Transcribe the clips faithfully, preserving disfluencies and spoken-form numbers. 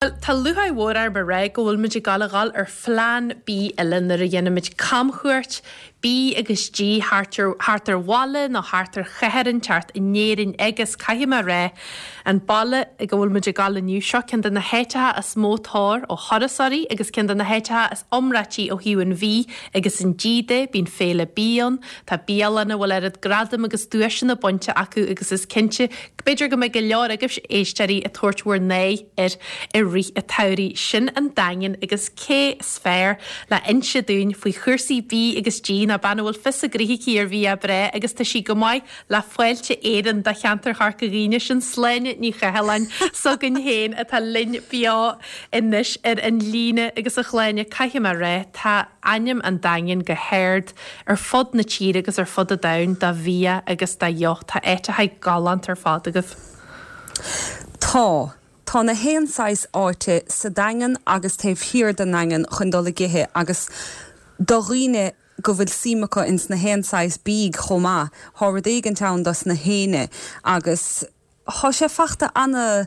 Bhuel, tá lúcháir mhór orm a rá go bhfuil muid ag gabháil a dhul ar phlean bídh eile nuair a dhéanaimid camchuairt bídh agus dí thart ar thart ar bhaile nó thart ar chathair inteacht in Éirinn agus, caithfidh mé a rá, an baile ag a bhfuil muid ag gabháil inniu, seo ceann de na háiteacha is mó tóir ó thurasóirí agus ceann de na háiteacha is iomráití ó thaobh an bhídh agus an dí de. Bíonn féile bídh ann, tá bialanna a bhfuil oiread gradam agus duaiseanna bainte acu agus is cinnte, b'fhéidir go mbeidh go leor agaibhse éisteoirí ag tabhairt bhur n-aghaidh air i rith an tsamhraidh. Sin an Daingean agus cé is fearr le inse dúinn faoi chúrsaí bídh agus dí ná bean a bhfuil fios a gnoithe aici ar bhia breá agus tá sí go maith le Fáilte Éireann do cheantar Chorca Dhuibhne, sin Sláine Ní Chathalláin s'againn féin atá linn beo anois ar an líne agus a Shláine, caithfidh mé a rá, tá ainm an Daingin go hard ar fud na tíre agus ar fud an domhain do bhia agus do dheoch. Tá áiteacha galánta ar fad agaibh. Tá. Tá na haon saghas áite sa Daingean agus taobh thiar den nDaingean chun dul ag ithe agus do dhaoine go bhfuil suim acu ins na haon saghas bídh chomh maith. Thá rud éigint ann dos na héinne agus thá sé fachta ana,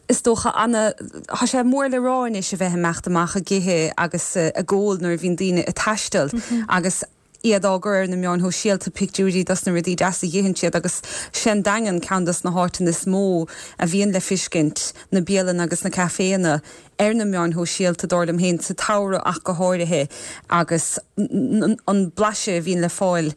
is dócha, ana, thá sé mór le rá anois a bheith ag imeacht amach ag ithe agus ag ól nuair a bhíonn daoine ag taisteal agus iad á gcur ar na meáin shóisialta, pictiúirí dos na rudaí deasa a dh'itheann siad agus sé an Daingean ceann dos na háiteanna is mó a bhíonn le fiscint, na bialanna agus na caiféanna ar na meáin shóisialta, dar liom féin, sa tsamhradh ach go háirithe agus an blaiseadh a bhíonn le fáil.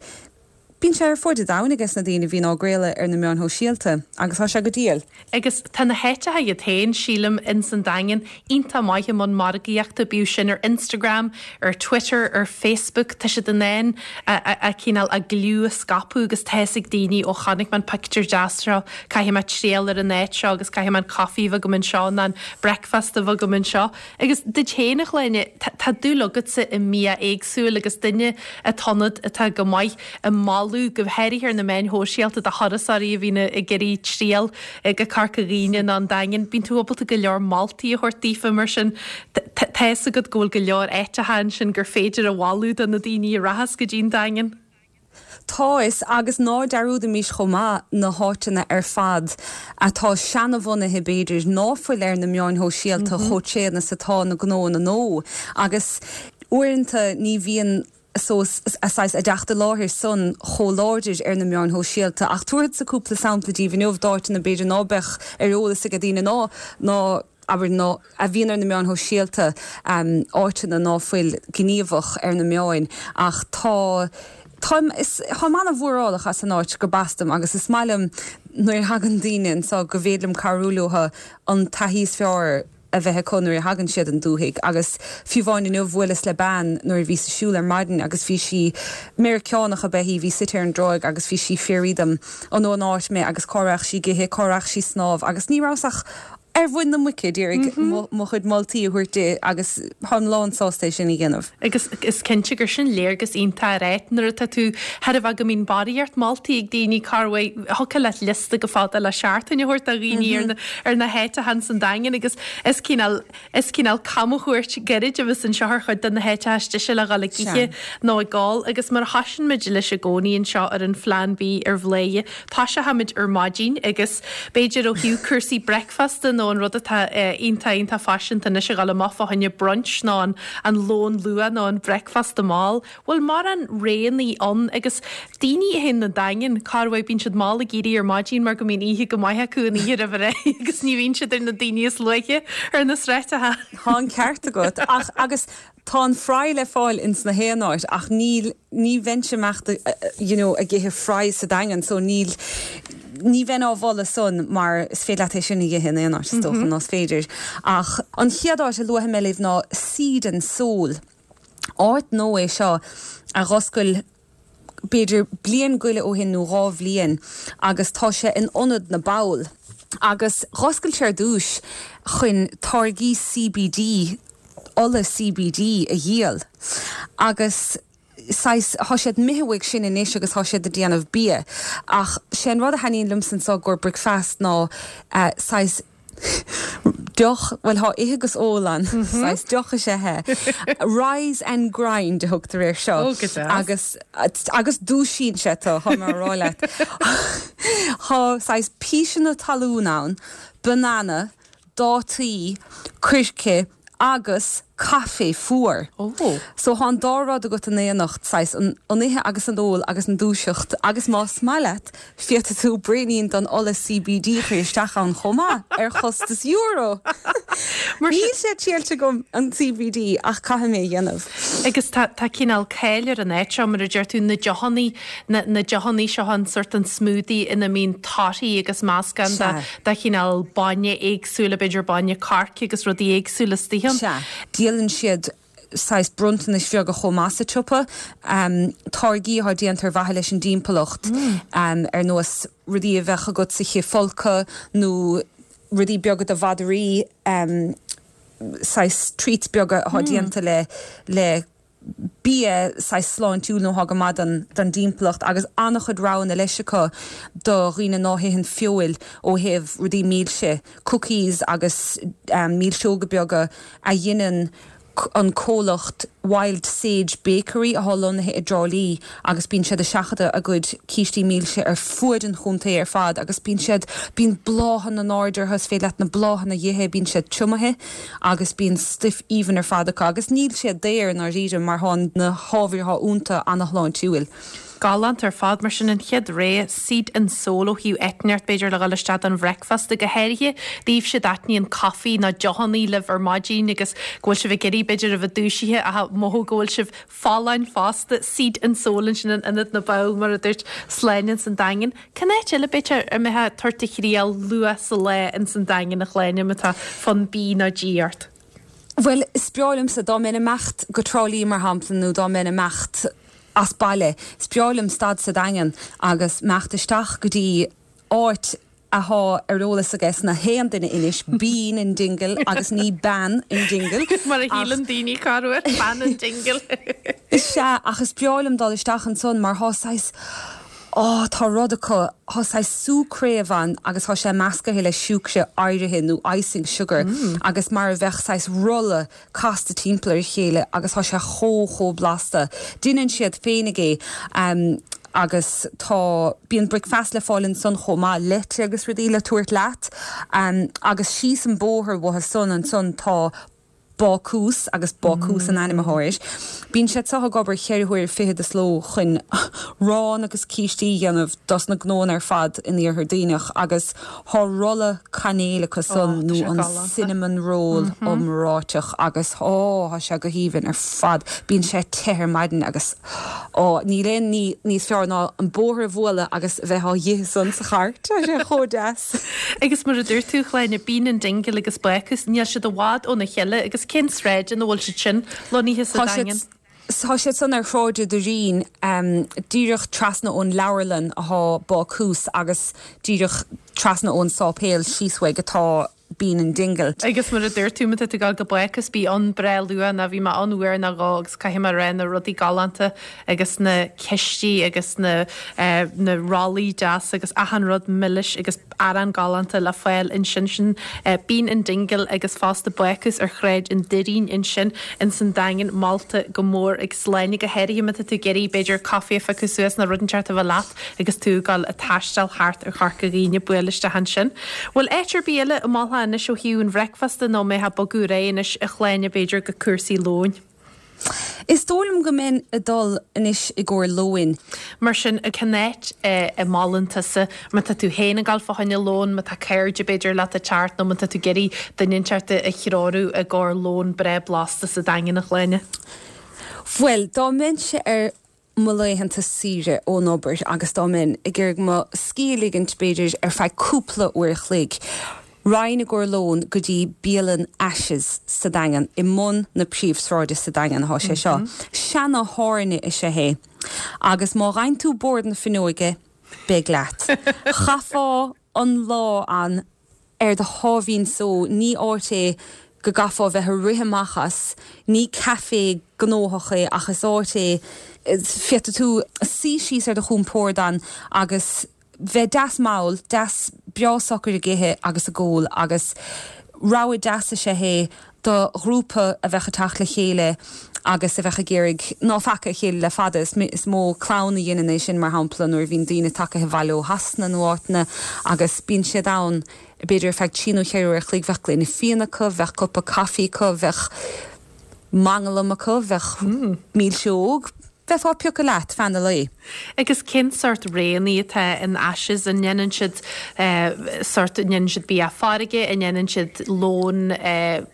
Bíonn sé ar fuaid an domhain ages na daoine a bhíonn á gcraoladh ar na meáin shóisialta agus tá sé go diail. Agus tá na háiteacha iad féin, sílim, ins an Daingean, iontach maith i mbun margaíochta, bíodh sin ar Instagram, ar Twitter, ar Facebook, tá siad in ann a cineál a gcliú a scaipeadh agus tá fhios ag daoine, ó chonaic mé an pictiúr deas seo, caithfidh mé triail ar an áit seo agus caithfidh mé an coffee a bheith agam anseo nó an breakfast a bheith agam anseo. Agus duit féin, a Shláine, tá dúil agatsa i mbia éagsúil agus duine atá ionat atá go maith i moladh, go háirithe ar na meáin shóisialta, do thurasóirí a bhíonn ag iarraidh triall go Corca Dhuibhne nó an Daingean. Bíonn tú ábalta go leor moltaí a thabhairt daofa mar sin. Tá fhios agat go bhfuil go leor áiteacha ansin gur féidir a mholadh do na daoine a rachas go dtí an Daingean. Tá fhios, agus ná dearúdaimís chomh maith na háiteanna ar fad atá seanabhunaithe b'fhéidir, ná fuil ar na meáin shóisialta chomh tréan is atá na gnóanna nua agus uaireanta ní bhíonn saghas a dteacht i láthair san chomh láidir ar na meáin shóisialta. Ach tabharfadsa cúpla sampla díbh inniu d'áiteanna b'fhéidir ná beadh ar eolas ag daoine ná ná abair ná a bhíonn ar na meáin shóisialta, áiteanna ná fuil gníomhach ar na meáin ach tá táim is táim ana-mhórálach as an áit gurb as dom agus is maith liom nuair a thagann daoine anso go bhféidir liom cabhrú leo an taithí is fearr a bheith acu nuair a thagann siad 'on dúthaigh agus fiú amháin inniu bhuaileas le bean nuair a bhíos ag siúl ar maidin agus bhí sí, Meiriceánach ab ea í, bhí suite ar an dtráigh agus bhí sí ag fiafraí dom an ón áit mé agus cá rachadh sí ag ithe, cá rachadh sí snámh agus ní rabhas ach ar mhuin na muice d'iarraidh mo chuid moltaí a thabhairt di agus táim lán sásta é sin a dhéanamh. Agus is cinnte gur sin léargas iontach ar áit nuair atá tú thar a bheith go mbíonn barraíocht moltaí ag daoine cá bhfuil thiocfadh leat liosta go fada le seachtain a thabhairt do dhaoine ar na ar na háiteacha ins an Daingean agus is cineál is cineál camchuairt gairid a bheas anseo ar chuid de na háiteacha istigh le dhul ag ithe nó ag ól agus mar a thosaíonn muid leis i gcónaí anseo ar an Phlean Bídh ar Bhladhaire toiseochaimid ar maidin agus b'fhéidir ó thaobh cúrsaí bricfeasta nó an rud atá iontach iontach faiseanta anois a dhul amach fá choinne brunch nó an an lón luath nó an bricfeasta mall. Bhfuil mórán roghannaí ann agus daoine a théann 'na Daingean, corruair bíonn siad mall ag éirí ar maidin mar go mbíonn oíche go maith acu an oíche roimh ré agus ní bhíonn siad ar na daoine is luaithe ar na sráideacha. Tá an ceart agat ach agus tá an fry le fáil ins na haon áit ach níl, ní bheinnse imeacht you know ag ithe fry sa Daingean so níl, ní bheinn á mholadh san mar is féidir leat é sin a dh'ithe in aon áit is dócha nó is féidir ach an chéad áit a luafaidh mé libh ná Seed and Soul. Áit nua é seo a dh'oscail b'fhéidir bliain go leith ó shin nó dhá bhliain agus tá sé in Ionad na bPoll agus dh'oscail sé ar dtúis chun táirgí CBD, ola CBD a dhíol agus saghas, thá siad imithe uaidh sin anois agus thá siad ag déanamh bia ach sé an rud a thaitníonn liomsa anso i gcomhair bricfeast ná saghas deoch, bhuel thá ithe agus ól ann, saghas deoch is ea é. Rise and Grind a thugtar air seo. Ó, go deas. Agus, agus dúisíonn sé tú, thá mé á rá leat. Thá saghas píseanna talún ann, banana, dátaí, coirce agus caife fuar. Oh. So tá an dá rud agat in éineacht, saghas an an ithe agus an ól agus an dúiseacht agus más maith leat féadfaidh tú braoinín den ola C B D a chur isteach ann chomh maith ar chostas euro. Níl sé triailte agam an C B D ach caithfidh mé a dhéanamh. Agus tá tá cineál cáil ar an áit seo mar a deir tú na deochannaí na na deochannaí seo an sort an smoothie ina mbíonn torthaí agus meascán de de chineál bainne éagsúla b'fhéidir bainne coirce agus rudaí éagsúla istigh ann. Sea. Díolann siad saghas bronntanais bheaga chomh maith sa tsiopa, um, táirgí atá déanta ar mhaithe leis an dtimpeallacht mm. um, ar nós rudaí a bheadh agat sa chithfholcadh nó rudaí beaga do mhadraí um, saghas treats beaga atá mm. déanta le le bia saghas sláintiúil nó atá go maith don don dtimpeallacht agus an-chuid roghanna leis acu do dhaoine ná hitheann feoil ó thaobh rudaí milse, cookies agus um, milseoga beaga a dhéanann an comhlacht Wild Sage Bakery atá lonnaithe i dTrá Lí agus bíonn siad ag seachadadh a gcuid cístí milse ar fuaid an chontae ar fad agus bíonn siad bíonn bláthanna in airde orthu is féidir leat na bláthanna a ithe bíonn siad tiumaithe agus bíonn stuif aoibhinn ar fad acu agus níl siad daor i ndáiríre mar tá na hábhair atá iontu an-shláintiúil. Galánta ar fad mar sin an chéad rogha Seed and Soul ó thaobh eitneart b'fhéidir le dhul isteach don bhricfeasta go háirithe daoibhse a dtaitníonn caife nó deochannaí libh ar maidin agus go bhfuil sibh ag iarraidh b'fhéidir a bheith dúisithe ach mothú go bhfuil sibh folláin fosta Seed and Soul ansin in Ionad na bPoll mar a dúirt Sláine san Daingean. Cén áit eile b'fhéidir a mbeifeá ag tabhairt do thriail luath sa lá in san Daingean a Shláine má tá fonn B nó G ort. Well, is breá liomsa dá mbeinn ag imeacht go Trá Lí mar shampla nó dá mbeinn ag imeacht as baile. Is breá liom stad sa Daingean agus imeacht isteach go dtí áit atá ar eolas aige na haon duine anois Bean in Dingle agus ní Bean in Dingle. Mar a shíleann daoine corruair Bean in Dingle. Is ea ach is breá liom dul isteach ansan mar tá saghas Ó tá rud acu tá saghas sú craobh ann agus tá sé measctha le siúcra áirithe nó icing sugar mm. agus mar a bheadh saghas rolla casta timpeall ar a chéile agus tá sé chomh chomh blasta. Déanann siad féinig é um, agus tá bíonn bricfeasta le fáil ansan chomh maith leite agus rudaí le tabhairt leat um, agus síos an bóthar uathu san ansan tá Bácús agus Bácús an ainm atá air. Bíonn sé seo ag obair ceithre huaire fichead sa ló chun arán agus cístí a dhéanamh dos na gnónna ar fad in iarthar Duibhneach agus tá rolla cainéil acu san nó an cinnamon roll mm -hmm. iomráiteach agus ó tá sé go haoibhinn ar fad bíonn sé te ar maidin agus ó níl aon ní níos fearr ná an bóthar a bhualadh agus bheith á ithe san sa charr sé chomh deas. Agus mar a dúirt tú Shláine Bean in Dingle agus Bácús níl siad i bhfad óna chéile agus cén sráid ina bhfuil siad sin lonnaithe sa Daingean. Tá siad san ar Shráid an Doirín um, díreach trasna ón leabharlann atá Bácús agus díreach trasna ón sáipéal síos uaidh atá Bean in Dingle. Agus mar a dúirt tú tú ag go Bácús bí ann breá luath ná bhí mé ann uair nó dhó agus caithfidh mé rá na rudaí galánta agus na cistí agus na, uh, na rollaí deas agus achan rud milis agus arán galánta le fáil ansin sin uh, Bean in Dingle agus fosta Bácús ar Shráid an Doirín ansin in san Daingean molta go mór ag Sláine go háirithe má tá tú ag iarraidh b'fhéidir caife a phiocadh suas nó rud inteacht a bheith leat agus tú ag dul ag taisteal thart ar Chorca Dhuibhne buail isteach ansin. Bhfuil áit ar bith eile a mholfá anois ó thaobh an bhricfeasta nó mé ag bogadh ar aghaidh anois a Shláine b'fhéidir go cúrsaí lóin. Is dóigh liom go mbeinn ag dul anois i gcomhair lóin. Mar sin cén áit a mholann tusa má tá tú féin ag dul fá choinne lón, má tá cairde b'fhéidir leat ag teacht nó má tá tú ag iarraidh duine inteacht a threorú i gcomhair lón breá blasta sa Daingean a Shláine. Bhuel, dá mbeinnse ar mo laethanta saoire ón obair agus dá mbeinn ag iarraidh mo scíth a ligint b'fhéidir ar feadh cúpla uair a chloig. Raghainn i gcomhair lóin go dtí bialann Ashes sa Daingean i mbun na príomhsráide sa Daingean atá sé seo. Mm -hmm. Seantábhairne is ea é. Agus má fhaigheann tú bord na fuinneoige beidh leat. Chaithfeá an lá ann ar do sháimhín só ní áit é go gcaithfeá bheith ag rith amach as, ní caife gnóthach é ach is áit é féadfaidh tú suí síos ar do chompord ann agus bheith deas mall, deas breá socair ag ithe agus ag ól agus rogha deas is ea é do ghrúpa a bheith ag teacht le chéile agus a bheith ag iarraidh ná faca a chéile le fada is, is mó clann a dhéanann é sin mar shampla nuair a bhíonn daoine tagtha abhaile ó Shasana nó áiteanna agus bíonn siad ann b'fhéidir ar feadh trí nó ceithre uair a chloig bheadh gloine fíona acu, bheadh cupa caife acu, bheadh manglam acu, bheadh milseog, bheifeá ag piocadh leat feadh an lae. Agus cén sórt roghanna atá in Ashes an ndéanann siad sórt an ndéanann siad bia farraige, an ndéanann siad lón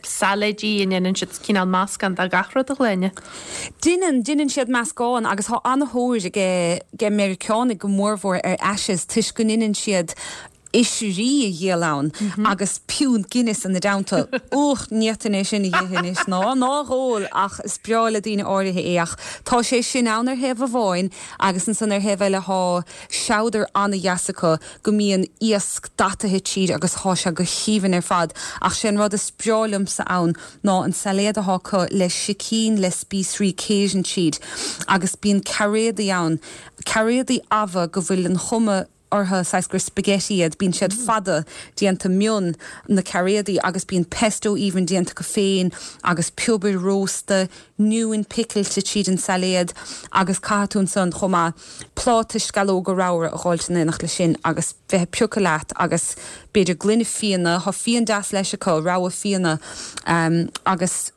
sailéidí, an ndéanann siad cineál meascán de gach rud a Shláine? Déanann, déanann siad meascán agus tá an-tóir ag ag Meiriceánaigh go mórmhór ar Ashes toisc go ndéanann siad oisrí a dhíol ann agus piúnt Guinness ina dteannta. Och, ní fhéadfainn é sin a dh'ithe anois ná ná a dh'ól ach is breá le daoine áirithe é ach tá sé sin ann ar thaobh amháin agus ansan ar thaobh eile thá seabhdar an-dheas acu go mbíonn iasc dataithe tríd agus thá sé go haoibhinn ar fad ach sé an rud is breá liomsa ann ná an sailéad athá acu le sicín le spíosraí Cajun tríd agus bíonn cairéadaí ann, cairéadaí amha go bhfuil an chuma orthu saghas gur spaghetti iad, bíonn siad fada, déanta mion, na cairéadaí agus bíonn pesto aoibhinn déanta acu féin agus piobar rósta, oinniún picilte tríd an sailéad agus caithfidh tú ansan chomh maith pláta sceallóga ramhra a dh'fháilt in éineacht leis sin agus bheith ag piocadh leat agus b'fhéidir gloine fíona, tá fíon deas leis acu, rogha fíona agus.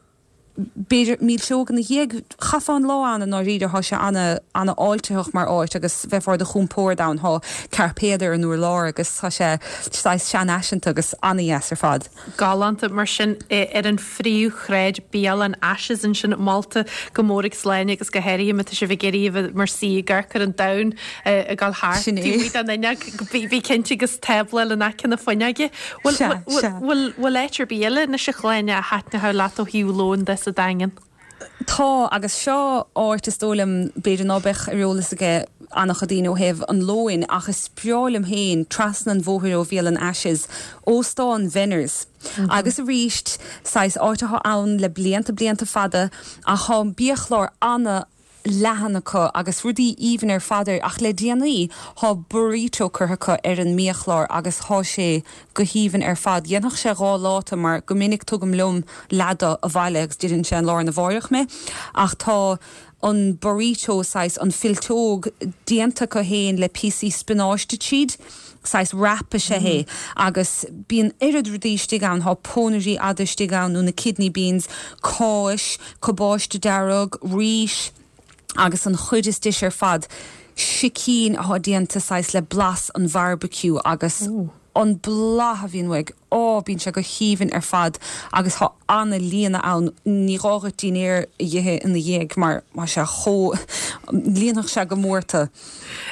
b'fhéidir milseog ina dhiaidh. Chaithfeá an lá ann i ndáiríre, thá sé ana, ana fháiltitheach mar áit agus bheifeá ar do chompord ann, thá cairpéad ar an urlár agus tá sé saghas seanfhaiseanta agus ana dheas ar fad. Galánta mar sin ar an phríomhshráid bialann Ashes ansin molta go mór ag Sláine agus go háirithe má tá sibh ag iarraidh a bheith mar suí ag amharc ar an domhan ag dul thart Sin é. taobh amuigh den fhuinneog, bí cinnte agus tábla in aice na fuinneoige. Bhfuil, Sea, bhfuil, sea. bhfuil, bhfuil áit ar bith eile anois a Shláine a thaitneochadh leat ó thaobh lóin de sa Daingean? Tá, agus seo áit is dóigh liom b'fhéidir ná beadh ar eolas aige an-chuid daoine ó thaobh an lóin ach is breá liom féin trasna an bhóthair ó Bhialann Ashes, Óstán Venners. Agus arís, saghas áit atá ann le blianta blianta fada ach tá biachlár ana leathan acu agus rudaí aoibhinn ar fad air ach le déanaí thá burrito curtha acu ar an mbiachlár agus thá sé go haoibhinn ar fad. Dhéanfadh sé dhá pláta mar go minic tugaim liom leath de abhaile agus d'itheann sé an lá arna mháireach mé ach tá an burrito saghas an fillteog déanta acu féin le píosaí spionáiste tríd, saghas wrap is ea é agus bíonn oiread rudaí istigh ann, thá pónairí fhada istigh ann nó na kidney beans, cáis, cabáiste dearg, rís agus an chuid is deise ar fad, sicín athá déanta saghas le blas an bharbecue agus an blas a bhíonn uaidh, á, bíonn sé go haoibhinn ar fad agus thá ana-líonadh ann, ní gá dhuit dinnéar a dh'ithe ina dhiaidh mar tá sé chomh, líonfadh sé go mór tú.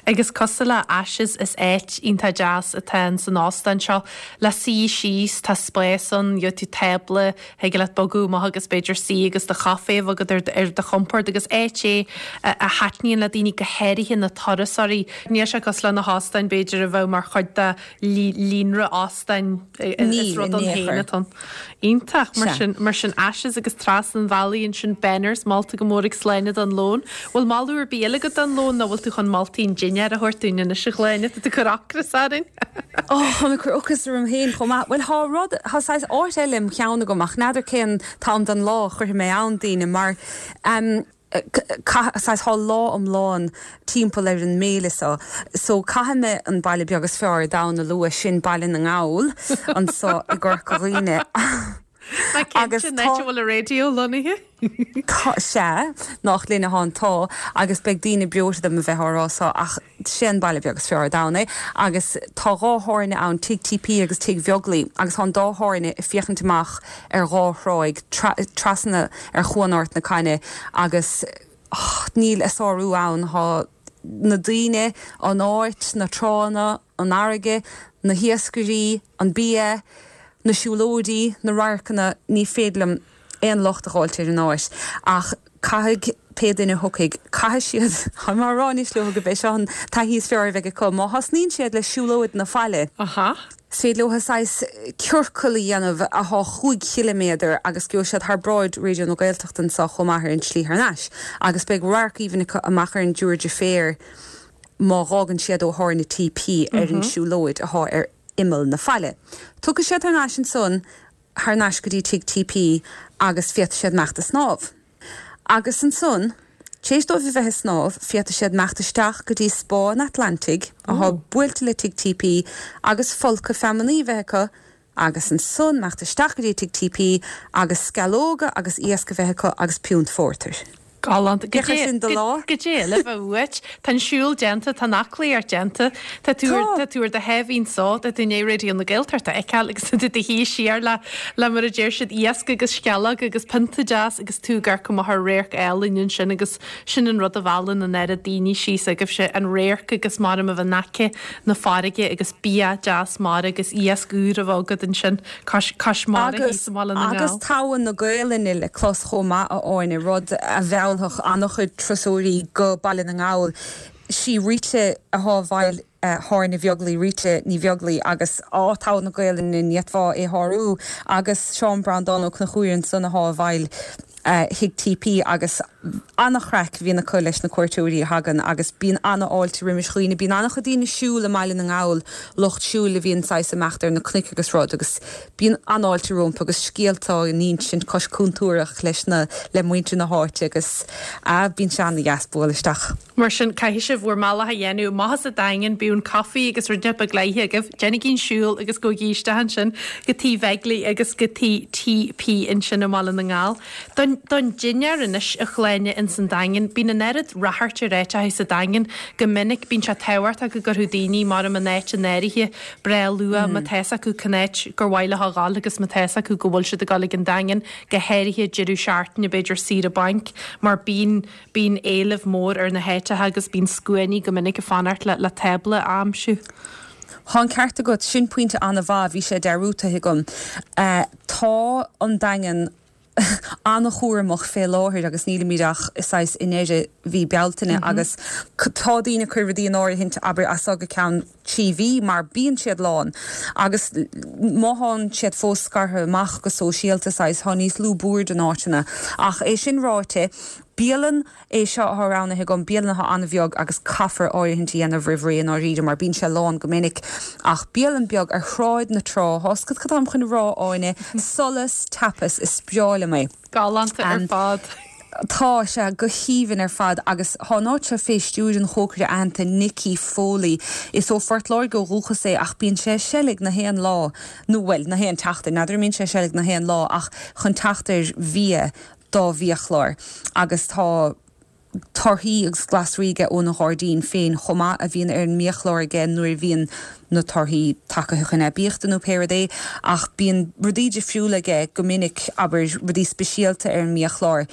Agus cosúil le Ashes is áit iontach deas atá in san óstán seo le suí síos, tá spás ann, gheobhaidh tú tábla, thig leat bogadh amach agus b'fhéidir suí agus do chaife a bheith agat ar do chompord agus áit é a thaitníonn le daoine go háirithe na turasóirí. Níl sé cosúil le na hóstáin b'fhéidir a bheadh mar chuid de líonra óstáin is rud ann féin atá ann. Iontach, mar sin, mar sin Ashes agus trasna an bhealaigh ansin Benners molta go mór ag Sláine don lón. Bhfuil moladh ar bith eile agat don lón nó bhfuil tú chun moltaí an dinnéir a thabhairt dúinn anois a Shláine? Tá tú ag cur ocras orainn. Ó, táim ag cur ocras orm féin chomh maith. Bhuel, thá rud, thá saghas áit eile im cheann agam ach n'fheadar cén t-am den lá a chuirfidh mé ann daoine mar em caith, saghas thá lá iomlán timpeall ar an mbéile so. So caithfidh mé an baile beag is fearr ar domhan a lua, sin Baile na nGall anso i gCorca Dhuibhne. Ná cinnte, an áit a bhfuil an raidió lonnaithe? Tá, sea, nach linne athá an t-ádh agus beidh daoine breoite dom a bheith á rá so ach sé an baile beag is fearr ar domhan é agus tá dhá thábhairne ann, Tigh TP agus Tigh Bheaglaoí agus tá an dá thábhairne ag féachaint amach ar dhá thráigh trasna ar Chuan Ard na Caithne agus níl a sárú ann, tá na daoine, an áit, na tránna, an fharraige, na hiascairí, an bia, na siúlóidí, na radharcanna, ní féidir liom aon locht a dh'fháilt ar an áit. Ach caithfidh pé duine a thiocfaidh, caithfidh siad, tá mé á rá anois leo gurb é seo an taithí is fearr a bheidh acu, má thosnaíonn siad le siúlóid na faille, is féidir leo saghas ciorcal a dhéanamh athá chúig chiliméadar agus gheobhaidh siad thar bráid Raidió na Gaeltachta anseo chomh maith ar an tslí thar n-ais agus beidh radharc aoibhinn acu amach ar an dTiúr Deirféar má dh'fhágann siad ó Thábhairne TP ar an siúlóid athá ar imeall na faille. Tiocfaidh siad thar n-ais ansan thar n-ais go dtí Tigh TP agus féadfaidh siad imeacht a snámh. Agus ansan, tar éis dóibh a bheith ag snámh, féadfaidh siad imeacht isteach go dtí Spá an Atlantaigh, athá buailte le Tigh TP, agus folcadh feamainní a bheith acu Agus ansan imeacht isteach go dtí Tigh TP agus sceallóga agus iasc a bheith acu agus piúnt phórtair. Galánta. Féach ar sin do lá. Goidé le bheith uait. Tá an siúl déanta, tá an aclaíocht déanta, tá tú Tá. tá tú ar do shuaimhneas so, tá tú i ndiaidh Raidió na Gaeltachta a fheiceáil agus tá tú i do shuí siar le le mar a deir siad iasc agus sceallóg agus pionta deas agus tú ag amharc amach ar radharc álainn ansin agus sin an rud a mheallann an oiread daoine síos agaibhse an radharc agus mar a bheith in aice na farraige agus bia deas mara agus iasc úr a bheith agat ansin cois cois mara Agus thíos i mBaile na agus nGall. togha na Gaelainne le clos chomh maith a Áine rud a mheallfadh an-chuid turasóirí go Baile na nGall. Sí Rita atá i bhfeighil Áine Bheaglaoich Rita Ní Bheaglaoich agus á togha na Gaelainne ní fhéadfá é shárú agus Seán Breandán Ó Conchúir ansan atá i bhfeighil Thigh TP agus an-chraic a bhíonn acu leis na cuairteoirí a thagann agus bíonn an-fháilte roimis dhaoine, bíonn an-chuid daoine siúil i mBaile na nGall lucht siúil a bhíonn saghas ag imeacht ar na cnoic agus rud agus bíonn an-fháilte rompu agus scéalta á n-insint cois cúntúrach leis na le muintir na háite agus a bíonn sé an-dheas bualadh isteach. Mar sin caithfidh sibh bhur mbealach a dhéanamh amach as an Daingean bíonn caife agus rud beag le hithe agaibh, déanaigí an siúl agus gabhaigí isteach ansin go Tigh Bheaglaoich agus go Tigh TP ansin i mBaile na nGall. Don don dinnéar anois a Shláine ins an Daingean, bíonn an oiread ráchairt ar áiteacha sa Daingean go minic bíonn sé tábhachtach go gcuirfeadh daoine mar an áit in áirithe breá luath má tá fhios acu cén áit gur mhaith leo a ghabháil agus má tá fhios acu go bhfuil siad ag dul ag an Daingean go háirithe deireadh seachtaine b'fhéidir saoire bainc mar bíonn bíonn éileamh mór ar na háiteacha agus bíonn scuainí go minic ag fanacht le le tábla a aimsiú. Tá an ceart agat sin pointe an-mhaith bhí sé dearmadta agam. Uh, tá an Daingean an-chúramach fé láthair agus nílimid ach is i ndeireadh mhí Bealtaine mm -hmm. agus tá daoine ag cur rudaí in áirithint abair as go ceann trí mhí mar bíonn siad lán agus má tá siad fós scartha amach go sóisialta tá níos lú boird in áiteanna ach é sin ráite Bialann é seo atá roghnaithe agam bialann atá an-bheag agus caithfear áirithint a dhéanamh roimh ré an áiríre mar bíonn sé lán go minic ach bialann beag ar Shráid na Trá Thá cad chun rá Áine Solas Tapas is breá liom é. Galánta ar fad. Tá sé go haoibhinn ar fad agus tá an áit seo fé stiúir an chócaire aitheanta Nicky Foley. Is ó Phort Láirge ó dhúchas é ach bíonn sé seilg na haon lá nó bhuel na haon tseachtain, n'fheadar mbíonn sé seilg na haon lá ach chun teacht ar bhia dá bhiachlár agus tá torthaí agus glasraí aige óna ghairdín féin chomh maith a bhíonn ar an mbiachlár aige nuair a bhíonn na torthaí tagtha chun aibíochta nó pé rud é ach bíonn rudaí difriúla aige go minic abair rudaí speisialta ar an mbiachlár.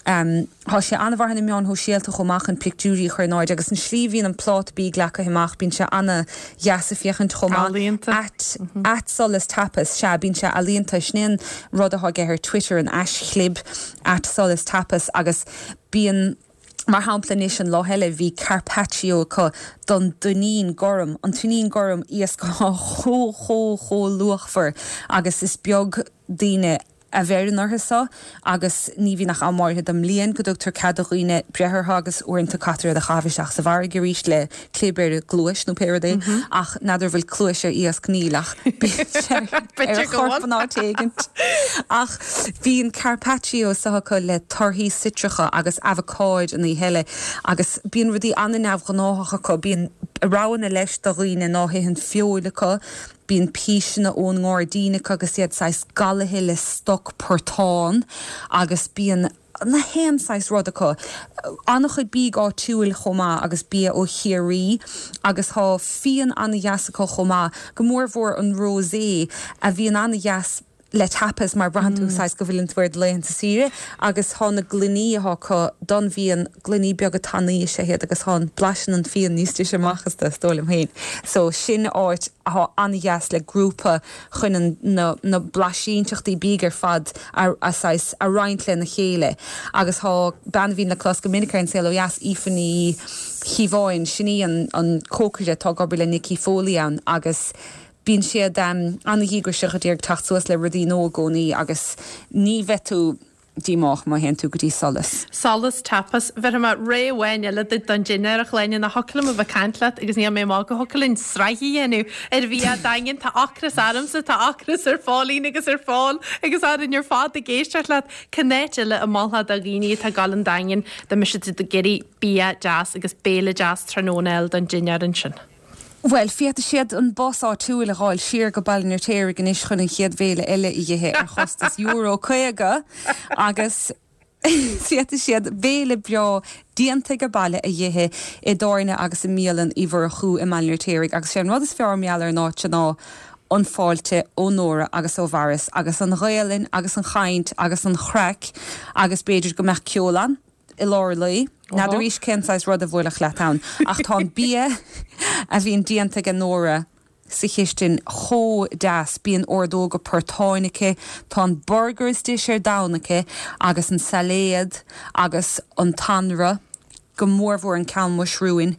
Um, Tá sé an-mhaith ar na meáin shóisialta chomh maith chun pictiúirí a chur in airde agus an slí bhíonn an pláta bídh leagtha amach bíonn sé an-dheas a féachaint chomh maith Ealaíonta. at at Solas Tapas sé bíonn sé ealaíonta sin rud atá aige ar Twitter an aishchlib at Solas Tapas agus bíonn Mar shampla anois an lá eile bhí carpaccio acu don tuinnín gorm an tuinnín gorm iasc chomh chomh chomh luachmhar agus is beag daoine a bheireann orthu seo agus ní bhíonn ach am áirithe den mbliain go dtugtar cead do dhaoine breith orthu agus uaireanta caithfear iad a chaitheamh isteach sa bhfarraige arís le clib ar gcluais nó pé rud é ach n'fheadar bhfuil cluais ar iasc níl ach ar chorp an áit éigint. Ach bhíonn carpaccio acu le torthaí citreacha agus avocáid an oíche agus bíonn rudaí an-neamhghnách acu bíonn roghanna leis do dhaoine ná hitheann feoil acu, bíonn píseanna ón ngairdín acu agus iad saghas galaithe le stoc portán agus bíonn na haon saghas rud acu. An-chuid bídh áitiúil chomh maith agus bia ó Chiarraí agus tá fíon an-dheas acu chomh maith go mórmhór an rosé a bhíonn an-dheas le tapas mar braitheann tú saghas go bhfuil tú ar laethanta saoire agus tá na gloiní acu don bhíonn gloiní beaga tanaí sé iad agus tá blaiseann an fíon níos deise amach astu is dóigh liom féin. So sin áit atá an-dheas le grúpa chun an, na, na blaisínteachtaí bídh ar fad a, a, saghas a roinnt lena chéile. agus tá bean a bhíonn le clos go minic ar An Saol Ó Dheas Aoife Ní Chíobháin sin í an, an cócaire atá ag obair le Nicky Foley ann agus bíonn siad um, an-dhíograiseach ag teacht suas le rudaí nua i gcónaí agus ní bheidh tú díomách má théann tú go dtí Solas. Solas Tapas bheith mar ré bhain le don dinnéar a Shláine nach thiocfadh liom a bheith ag caint leat agus níl mé má go thiocfadh linn sraith a dhéanamh ar bhia Daingean tá ocras ormsa tá ocras ar Phóilín agus ar Phól agus orainn ar fad ag éisteacht leat cén áit eile a mholfá do dhaoine atá ag dul an Daingean dá mbeadh siad ag iarraidh bia deas agus béile deas tráthnóna eile don dinnéar ansin. Bhuel, féadfaidh siad an bus áitiúil a fháil siar go Baile an Fheirtéaraigh anois chun an chéad bhéile eile a ithe ar chostas euro caoga agus féadfaidh siad béile breá déanta age baile a ithe i dtábhairne agus i mbialann Uí Mhurchú i mBaile an Fheirtéaraigh agus sé an rud is fearr mar gheall ar an áit ná an fáilte ó Nóra agus ó Mharis agus an Ghaelainn agus an chaint agus an chraic agus b'fhéidir go mbeadh ceol ann i lár an lae. N'fheadar arís cén saghas rud a bhuailfeadh leat ann ach tá an bia a bhíonn déanta ag Nóra sa chistin chomh deas, bíonn ordóga portáin aici, tá an burger is deise ar domhan aici agus an sailéad agus an t-anraith, go mórmhór an ceann muisriúin.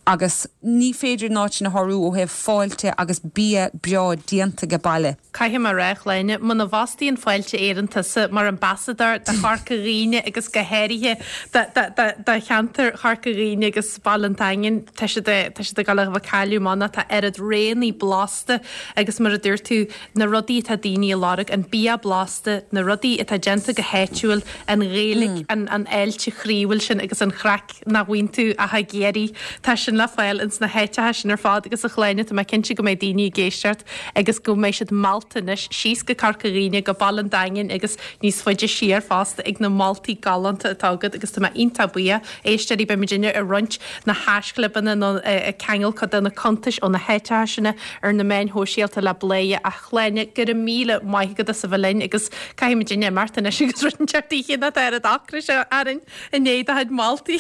Agus ní féidir an áit sin a shárú ó thaobh fáilte agus bia breá déanta age baile. Caithfidh mé a rá, a Shláine, muna bhfostaíonn Fáilte Éireann tusa mar ambasadóir do Chorca Dhuibhne agus go háirithe do cheantar Chorca Dhuibhne agus Baile an Daingin, tá siad tá siad ag dul a bheith ag cailleadh amach tá oiread roghanna blasta agus mar a dúirt tú, na rudaí atá daoine a lorg, an bia blasta, na rudaí atá déanta go háitiúil, an Ghaeilge, an fháilte chroíúil sin agus an chraic. nach bhfaigheann tú ach i gCiarraí. Tá sin le fáil ins na háiteacha sin ar fad agus a Shláine, tá mé cinnte go mbeidh daoine ag éisteacht agus go mbeidh siad meallta anois síos go Corca Dhuibhne, go Baile an Daingin agus níos faide siar fosta ag na moltaí galánta atá agat agus tá mé iontach buíoch. Éisteoirí, beidh muidinne ag roinnt na haischlibeanna nó ag ceangal cuid de na cuntais ó na háiteacha sin ar na meáin shóisialta le Bladhaire. A Shláine, go raibh míle maith agat as a bheith linn agus caithfidh muidinne imeacht anois agus rud inteacht oíche nach tá oiread ocrais orainn i ndiaidh do chuid moltaí.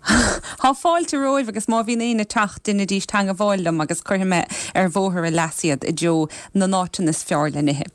Tá fáilte romhaibh agus má bhíonn éinne ag teacht deinidís teangabháil liom agus cuirfidh mé ar bhóthar a leas iad i dtreo na n-áiteanna is fearr le n-ithe.